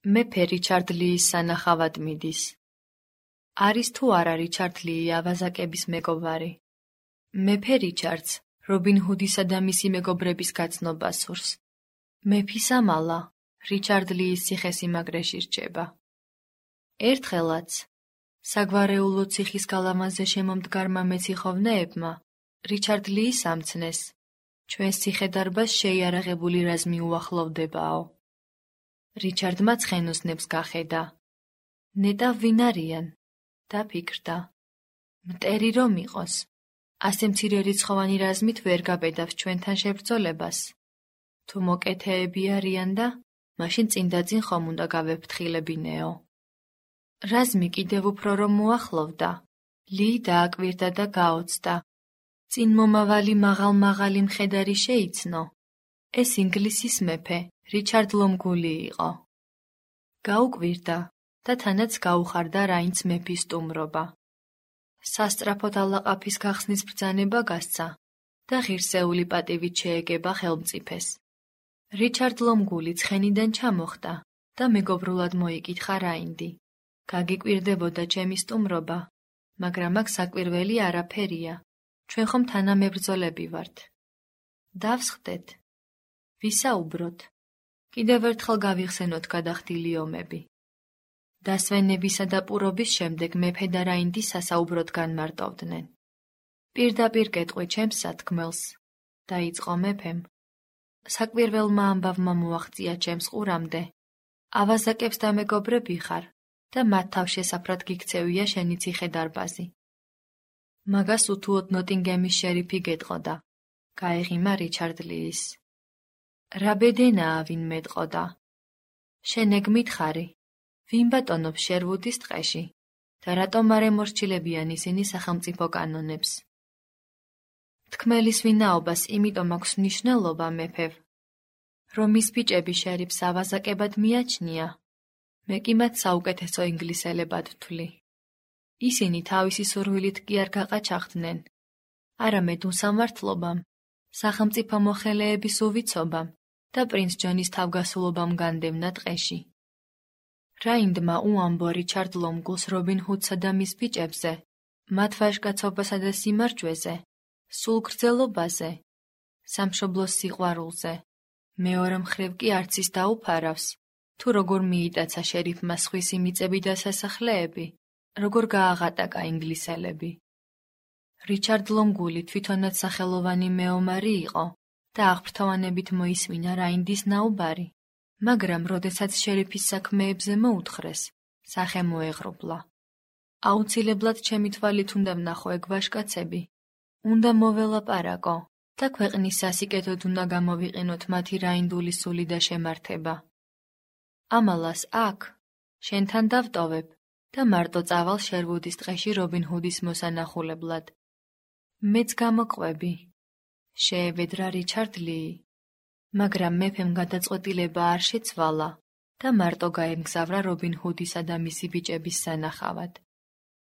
მეფე რიჩარდ ლიის სანახავად მიდის. არის თუ არა რიჩარდ ლii ავაზაკების მეგობარი? მეფე რიჩარდს რობინ ჰუდისა და მისი მეგობრების გაცნობა სურს. მეფის ამალა რიჩარდ ლიის ციხესიმაგრეში რჩება. ერთხელაც საგვარეულო ციხის გალავანზე შემომდგარმა მეციხოვნეებმა რიჩარდ ლიის ამცნეს, ჩვენს ციხედარბაზს შეიარაღებული რაზმი უახლოვდებაო. რიჩარდმა ცხენოსნებს გახედა. ნეტა ვინ არიან? დაფიქრდა. მტერი რომ იყოს, ასე მცირე რიცხოვანი რაზმით ვერ გაბედავს ჩვენთან შებრძოლებას. თუ მოკეთეები არიან და მაშინ წინ ხომ უნდა გავეფრთხილებინეო. რაზმი კიდევ უფრო რომ მოახლოვდა, ლii დააკვირდა და გაოცდა. წინ მომავალი მაღალ-მაღალი მხედარი შეიცნო. ეს ინგლისის მეფე რიჩარდ ლომგული იყო. გაუკვირდა და თანაც გაუხარდა რაინც მეფის სტუმრობა. სასწრაფოდ ალაყაფის გახსნის ბრძანება გასცა და ღირსეული პატივით შეეგება ხელმწიფეს. რიჩარდ ლომგული ცხენიდან ჩამოხდა და მეგობრულად მოიკითხა რაინდი. გაგიკვირდებოდა ჩემი სტუმრობა, მაგრამ აქ საკვირველი არაფერია. ჩვენ ხომ თანამებრძოლები ვართ. დავსხდეთ. ვისაუბროთ. კიდევ ერთხელ გავიხსენოთ გადახდილი ომები. დასვენებისა და პურობის შემდეგ მეფე და რაინდი სასაუბროდ განმარტოვდნენ. პირდაპირ გეტყვი ჩემს სათქმელს, დაიწყო მეფემ. საკვირველმა ამბავმა მოაღწია ჩემს ყურამდე. ავაზაკებს დამეგობრები ხარ და მათ თავშესაფრად გიქცევია შენი ციხე-დარბაზი. მაგას უთუოდ ნოტინგემის შერიფი გეტყოდა. გაეღიმა რიჩარდ ლიის. რა ბედენაა ვინ მეტყოდა. შენ ეგ მითხარი, ვინ ბატონობს შერვუდის ტყეში და რატომ არ ემორჩილებიან ისინი სახელმწიფო კანონებს? თქმელის ვინაობას იმიტომ აქვს მნიშვნელობა მეფევ, რომ მის ბიჭები შერიფს ავაზაკებად მიაჩნია, მე კი მათ საუკეთესო ინგლისელებად ვთვლი. ისინი თავისი სურვილით კი არ გაყაჩაღდნენ, არამედ უსამართლობამ, სახელმწიფო მოხელეების უვიცობამ და პრინც ჯონის თავგასულობამ განდევნა ტყეში. რაინდმა უამბო რიჩარდ ლომგულს რობინ ჰუდსა და მის ბიჭებზე, მათ ვაჟკაცობასა და სიმარჯვეზე, სულგრძელობაზე, სამშობლოს სიყვარულზე, მეორე მხრივ კი არც ის დაუფარავს, თუ როგორ მიიტაცა შერიფმა სხვისი მიწები და სასახლეები, როგორ გააღატაკა ინგლისელები. რიჩარდ ლომგული თვითონაც სახელოვანი მეომარი იყო და აღფრთოვანებით მოისმინა რაინდის ნაუბარი, მაგრამ როდესაც შერიფის საქმეებზე მოუთხრეს, სახე მოეღრუბლა. აუცილებლად ჩემი თვალით უნდა ვნახო ეგ ვაჟკაცები, უნდა მოველაპარაკო და ქვეყნის სასიკეთოდ უნდა გამოვიყენოთ მათი რაინდული სული და შემართება. ამალას აქ, შენთან დავტოვებ და მარტო წავალ შერვუდის ტყეში რობინ ჰუდის მოსანახულებლად. მეც გამოყვები. შეევედრა რიჩარდ ლii, მაგრამ მეფემ გადაწყვეტილება არ შეცვალა და მარტო გაემგზავრა რობინ ჰუდისა და მისი ბიჭების სანახავად.